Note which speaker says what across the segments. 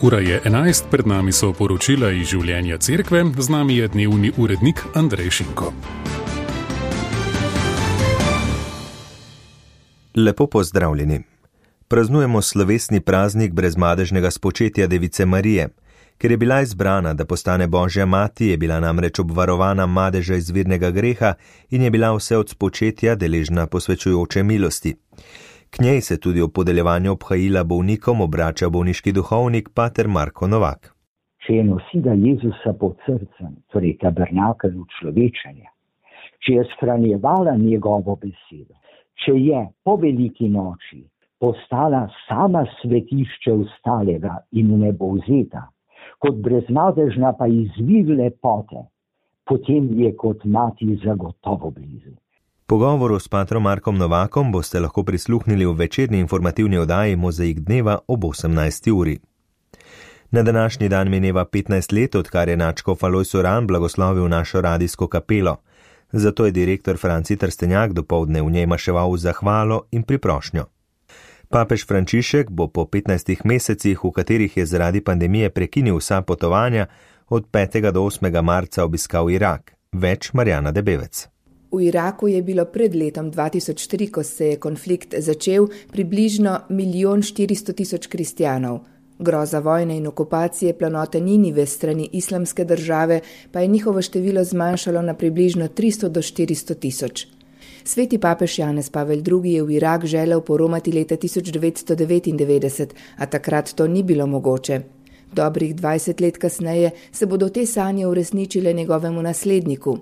Speaker 1: Ura je 11, pred nami so poročila iz življenja cerkve, z nami je dnevni urednik Andrej Šinko.
Speaker 2: Lepo pozdravljeni. Praznujemo slovesni praznik brezmadežnega spočetja Device Marije. Ker je bila izbrana, da postane Božja mati, je bila namreč obvarovana madeža izvirnega greha in je bila vse od spočetja deležna posvečujoče milosti. K njej se tudi ob podeljevanju obhajila bolnikom obrača bolniški duhovnik pater Marko Novak.
Speaker 3: Če je nosila Jezusa pod srcem, torej tabernakelj učlovečenja, če je shranjevala njegovo besedo, če je po veliki noči postala sama svetišče ostalega in nebovzeta, kot brezmadežna pa izvir lepote, potem je kot mati zagotovo blizu.
Speaker 2: Pogovoru s patrom Markom Novakom boste lahko prisluhnili v večerni informativni oddaji Mozaik dneva ob 18. uri. Na današnji dan mineva 15 let, odkar je nadškof Alojz Uran blagoslovil našo radijsko kapelo. Zato je direktor Franci Trstenjak dopoldne v njej maševal zahvalo in priprošnjo. Papež Frančišek bo po 15 mesecih, v katerih je zaradi pandemije prekinil vsa potovanja, od 5. do 8. marca obiskal Irak. Več Marjana Debevec.
Speaker 4: V Iraku je bilo pred letom 2003, ko se je konflikt začel, približno 1.400.000 kristjanov. Groza vojne in okupacije planote Ninive strani islamske države pa je njihovo število zmanjšalo na približno 300 do 400.000. Sveti papež Janez Pavel II je v Irak želel poromati leta 1999, a takrat to ni bilo mogoče. Dobrih 20 let kasneje se bodo te sanje uresničile njegovemu nasledniku.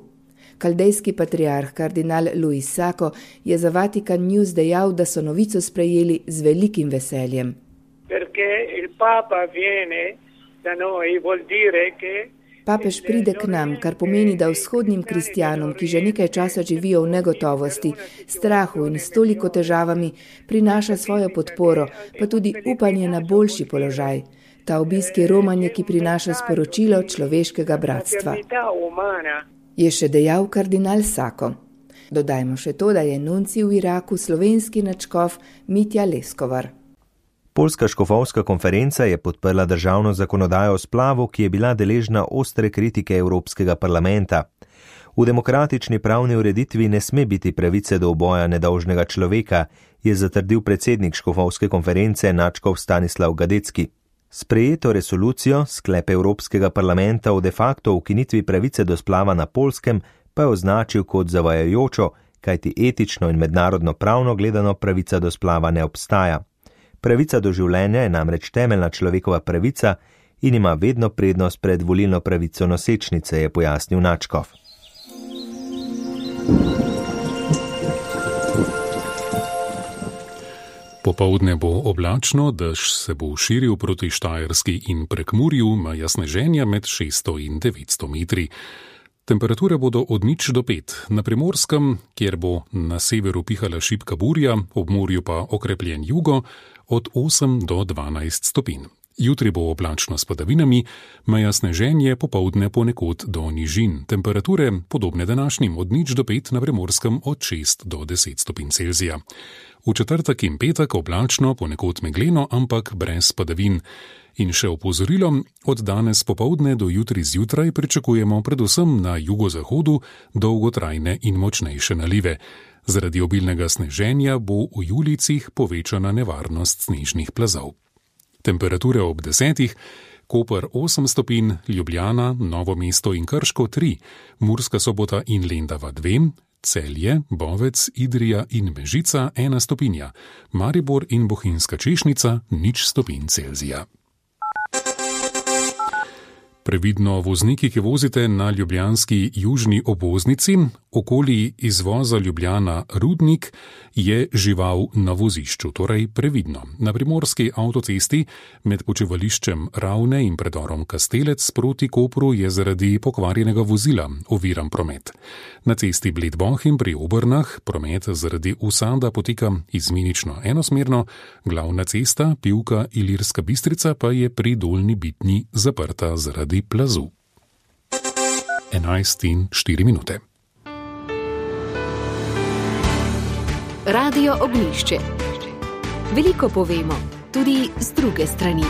Speaker 4: Kaldejski patriarh kardinal Luis Sacco je za Vatican News dejal, da so novico sprejeli z velikim veseljem. Papež pride k nam, kar pomeni, da vzhodnim kristjanom, ki že nekaj časa živijo v negotovosti, strahu in s toliko težavami, prinaša svojo podporo, pa tudi upanje na boljši položaj. Ta obisk je romanje, ki prinaša sporočilo človeškega bratstva. Je še dejal kardinal Sacco. Dodajmo še to, da je nuncij v Iraku slovenski nadškof Mitja Leskovar.
Speaker 2: Poljska škofovska konferenca je podprla državno zakonodajo o splavu, ki je bila deležna ostre kritike Evropskega parlamenta. V demokratični pravni ureditvi ne sme biti pravice do uboja nedolžnega človeka, je zatrdil predsednik škofovske konference nadškof Stanislav Gadecki. Sprejeto resolucijo, sklep Evropskega parlamenta o de facto ukinitvi pravice do splava na Poljskem, pa je označil kot zavajajočo, kajti etično in mednarodno pravno gledano pravica do splava ne obstaja. Pravica do življenja je namreč temeljna človekova pravica in ima vedno prednost pred volilno pravico nosečnice, je pojasnil nadškof.
Speaker 1: Popoldne bo oblačno, dež se bo širil proti Štajerski in Prekmurju, meja sneženja med 600 in 900 metri. Temperature bodo od 0 do 5, na Primorskem, kjer bo na severu pihala šibka burja, ob morju pa okrepljen jugo, od 8 do 12 stopinj. Jutri bo oblačno s padavinami, meja sneženje popoldne ponekod do nižin. Temperature podobne današnjim, od 0 do 5, na Primorskem od 6 do 10 stopinj Celzija. V četrtek in petek oblačno, ponekod megleno, ampak brez padavin. In še opozorilo, od danes popoldne do jutri zjutraj pričakujemo predvsem na jugozahodu dolgotrajne in močnejše nalive. Zaradi obilnega sneženja bo v Julijcih povečana nevarnost snežnih plazov. Temperature ob 10, Koper 8 stopinj, Ljubljana, Novo mesto in Krško 3, Murska Sobota in Lendava 2, Celje, Bovec, Idrija in Mežica 1 stopinja, Maribor in Bohinjska Češnica 0 stopinj Celzija. Previdno vozniki, ki vozite na ljubljanski južni obvoznici, okoli izvoza Ljubljana Rudnik, je žival na vozišču, torej previdno. Na primorski avtocesti med počivališčem Ravne in predorom Kastelec proti Kopru je zaradi pokvarjenega vozila oviran promet. Na cesti Bled-Bohinj pri Obrnah promet zaradi usada poteka izmenično enosmerno, glavna cesta Pivka-Ilirska Bistrica pa je pri Dolnji Bitnji zaprta zaradi plazu. 11:04.
Speaker 5: Radio Ognjišče. Veliko povemo, tudi z druge strani.